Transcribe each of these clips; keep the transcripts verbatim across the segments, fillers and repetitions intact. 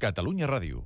Catalunya Ràdio.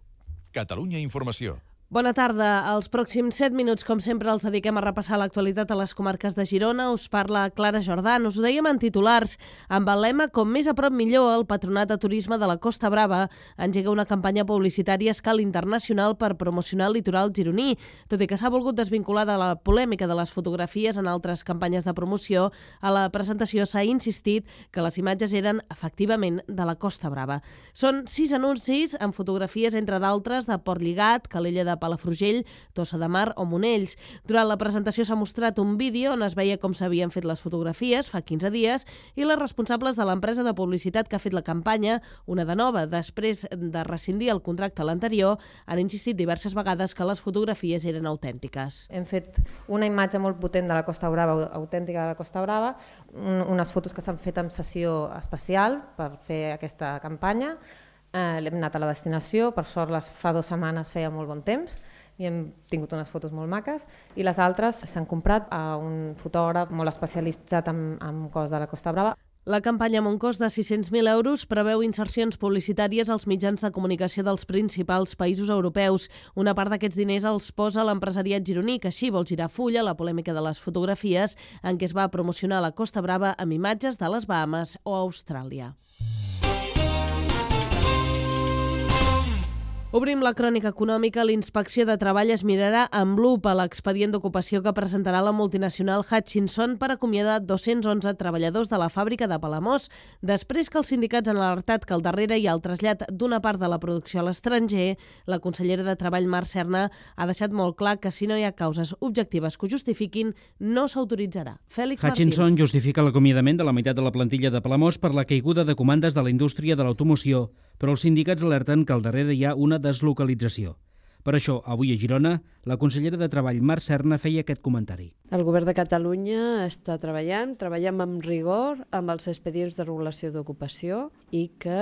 Catalunya Informació. Bona tarda. Els pròxims set minuts, com sempre, els dediquem a repassar l'actualitat a les comarques de Girona. Us parla Clara Jordà. Us ho dèiem en titulars. Amb el lema Com més a prop millor, el Patronat de Turisme de la Costa Brava engega una campanya publicitària a escala internacional per promocionar el litoral gironí. Tot i que s'ha volgut desvincular de la polèmica de les fotografies en altres campanyes de promoció, a la presentació s'ha insistit que les imatges eren efectivament de la Costa Brava. Són sis anuncis amb fotografies, entre d'altres, de Portlligat, Calella de Palafrugell, Tossa de Mar o Monells. Durant la presentació s'ha mostrat un vídeo on es veia com s'havien fet les fotografies fa quinze dies i les responsables de l'empresa de publicitat que ha fet la campanya, una de nova, després de rescindir el contracte a l'anterior, han insistit diverses vegades que les fotografies eren autèntiques. Hem fet una imatge molt potent de la Costa Brava, autèntica de la Costa Brava, unes fotos que s'han fet en sessió especial per fer aquesta campanya. Eh, hem anat a la destinació, per sort les fa dues setmanes feia molt bon temps i hem tingut unes fotos molt maques, i les altres s'han comprat a un fotògraf molt especialitzat en, en cos de la Costa Brava. La campanya amb un cost de sis-cents mil euros preveu insercions publicitàries als mitjans de comunicació dels principals països europeus. Una part d'aquests diners els posa l'empresariat gironí, que així vol girar full a la polèmica de les fotografies en què es va promocionar la Costa Brava amb imatges de les Bahames o Austràlia. Obrim la crònica econòmica. L'Inspecció de Treball es mirarà amb lupa l'expedient d'ocupació que presentarà la multinacional Hutchinson per acomiadar dos-cents onze treballadors de la fàbrica de Palamós, després que els sindicats han alertat que al darrere hi ha el trasllat d'una part de la producció a l'estranger. La consellera de Treball, Mar Serna, ha deixat molt clar que si no hi ha causes objectives que ho justifiquin, no s'autoritzarà. Fèlix Martín. Hutchinson justifica l'acomiadament de la meitat de la plantilla de Palamós per la caiguda de comandes de la indústria de l'automoció, però els sindicats alerten que al darrere hi ha una deslocalització. Per això, avui a Girona, la consellera de Treball, Mar Serna, feia aquest comentari. El govern de Catalunya està treballant, treballem amb rigor amb els expedients de regulació d'ocupació i que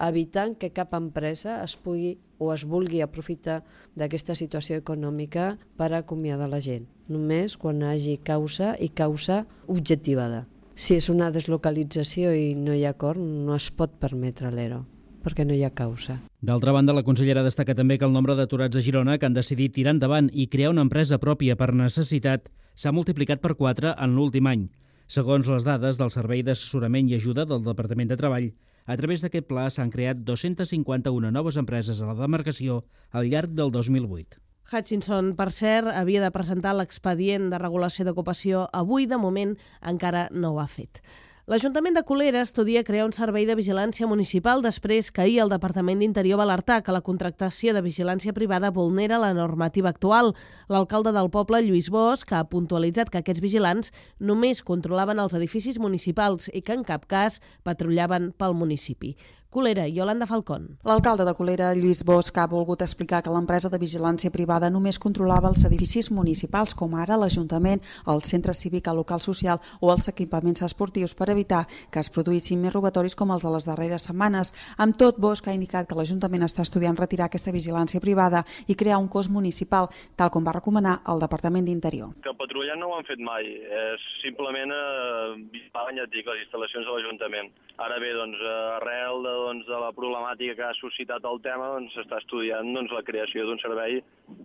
evitant que cap empresa es pugui o es vulgui aprofitar d'aquesta situació econòmica per acomiadar la gent. Només quan hi hagi causa i causa objectivada. Si és una deslocalització i no hi ha acord, no es pot permetre l'ERO, perquè no hi ha causa. D'altra banda, la consellera destaca també que el nombre d'aturats a Girona que han decidit tirar endavant i crear una empresa pròpia per necessitat s'ha multiplicat per quatre en l'últim any. Segons les dades del Servei d'Assessorament i Ajuda del Departament de Treball, a través d'aquest pla s'han creat dos-cents cinquanta-una noves empreses a la demarcació al llarg del dos mil vuit. Hutchinson, per cert, havia de presentar l'expedient de regulació d'ocupació avui. De moment encara no ho ha fet. L'Ajuntament de Colera estudia crear un servei de vigilància municipal després que ahir el Departament d'Interior va alertar que la contractació de vigilància privada vulnera la normativa actual. L'alcalde del poble, Lluís Bosch, ha puntualitzat que aquests vigilants només controlaven els edificis municipals i que en cap cas patrullaven pel municipi. Colera, Yolanda Falcón. L'alcalde de Colera, Lluís Bosch, ha volgut explicar que l'empresa de vigilància privada només controlava els edificis municipals, com ara l'Ajuntament, el centre cívic, el local social o els equipaments esportius, per evitar que es produïssin més robatoris com els de les darreres setmanes. Amb tot, Bosch ha indicat que l'Ajuntament està estudiant retirar aquesta vigilància privada i crear un cos municipal, tal com va recomanar el Departament d'Interior. Que patrullant no ho han fet mai, és simplement eh, vigilar les instal·lacions de l'Ajuntament. Ara bé, doncs, arrel de doncs, de la problemàtica que ha suscitat el tema, doncs, s'està estudiant doncs, la creació d'un servei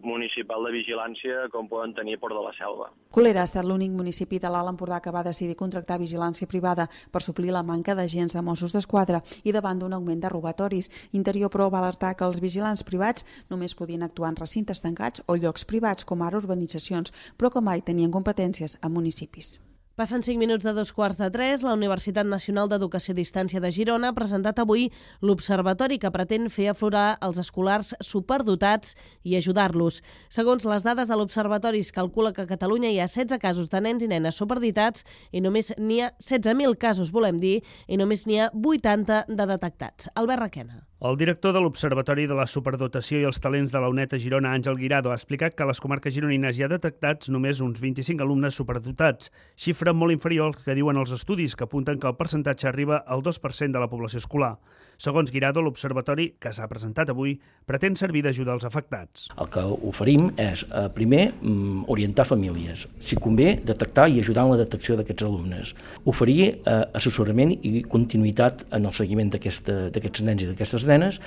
municipal de vigilància com poden tenir Port de la Selva. Colera ha estat l'únic municipi de l'Alt Empordà que va decidir contractar vigilància privada per suplir la manca d'agents de Mossos d'Esquadra i davant d'un augment de robatoris. Interior, però, va alertar que els vigilants privats només podien actuar en recintes tancats o llocs privats, com ara urbanitzacions, però que mai tenien competències a municipis. Passen cinc minuts de dos quarts de tres. La Universitat Nacional d'Educació a Distància de Girona ha presentat avui l'observatori que pretén fer aflorar els escolars superdotats i ajudar-los. Segons les dades de l'observatori, es calcula que a Catalunya hi ha setze casos de nens i nenes superdotats i només n'hi ha setze mil casos, volem dir, i només n'hi ha vuitanta de detectats. Albert Requena. El director de l'Observatori de la Superdotació i els Talents de la UNED a Girona, Àngel Guirado, ha explicat que a les comarques gironines hi ha detectats només uns vint-i-cinc alumnes superdotats, xifra molt inferior al que diuen els estudis, que apunten que el percentatge arriba al dos per cent de la població escolar. Segons Guirado, l'observatori, que s'ha presentat avui, pretén servir d'ajuda als afectats. El que oferim és, eh, primer, orientar famílies, si convé, detectar i ajudar en la detecció d'aquests alumnes, oferir eh, assessorament i continuïtat en el seguiment d'aquests nens i d'aquestes nenes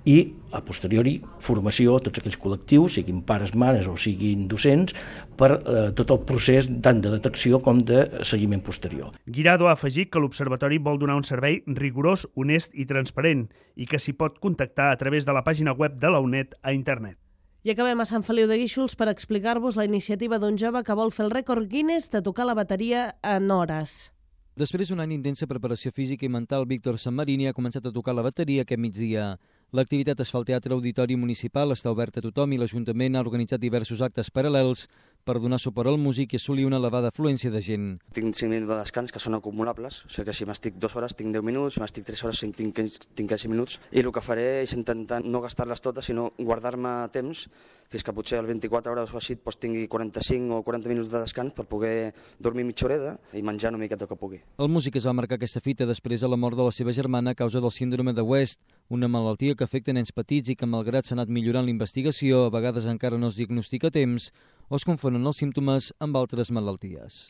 i, a posteriori, formació a tots aquells col·lectius, siguin pares, mares o siguin docents, per eh, tot el procés tant de detecció com de seguiment posterior. Guirado ha afegit que l'Observatori vol donar un servei rigorós, honest i transparent i que s'hi pot contactar a través de la pàgina web de la U N E D a internet. I acabem a Sant Feliu de Guíxols per explicar-vos la iniciativa d'un jove que vol fer el rècord Guinness de tocar la bateria en hores. Després d'un any d'intensa preparació física i mental, Víctor Sanmarini ha començat a tocar la bateria aquest migdia. L'activitat es fa al Teatre Auditori Municipal, està oberta a tothom i l'Ajuntament ha organitzat diversos actes paral·lels per donar suport al músic i assolir una elevada afluència de gent. Tinc cinc minuts de descans que són acumulables, o sigui que si m'estic dues hores tinc deu minuts, si m'estic tres hores tinc, tinc quinze minuts, i el que faré és intentar no gastar-les totes, sinó guardar-me temps, fins que potser al vint-i-quatre hores o així doncs tingui quaranta-cinc o quaranta minuts de descans per poder dormir mitja horeta i menjar una miqueta que pugui. El músic es va marcar aquesta fita després de la mort de la seva germana a causa del síndrome de West, una malaltia que afecta nens petits i que, malgrat s'ha anat millorant la investigació, a vegades encara no es diagnostica a temps o es confonen els símptomes amb altres malalties.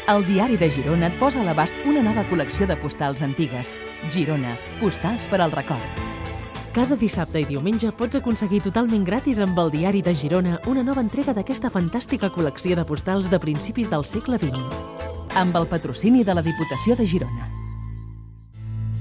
El Diari de Girona et posa a l'abast una nova col·lecció de postals antigues. Girona, postals per al record. Cada dissabte i diumenge pots aconseguir totalment gratis amb el Diari de Girona una nova entrega d'aquesta fantàstica col·lecció de postals de principis del segle vint. Amb el patrocini de la Diputació de Girona.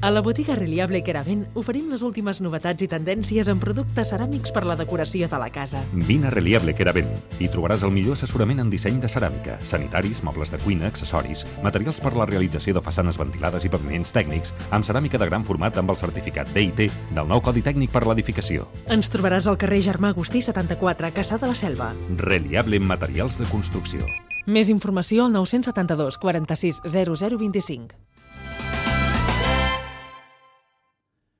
A la botiga Reliable Keravent oferim les últimes novetats i tendències en productes ceràmics per la decoració de la casa. Vine a Reliable Keravent. Hi trobaràs el millor assessorament en disseny de ceràmica, sanitaris, mobles de cuina, accessoris, materials per la realització de façanes ventilades i paviments tècnics, amb ceràmica de gran format amb el certificat D I T del nou Codi Tècnic per l'Edificació. Ens trobaràs al carrer Germà Agustí setanta-quatre, Caçà de la Selva. Reliable Materials de Construcció. Més informació al nou set dos quaranta-sis zero zero vint-i-cinc.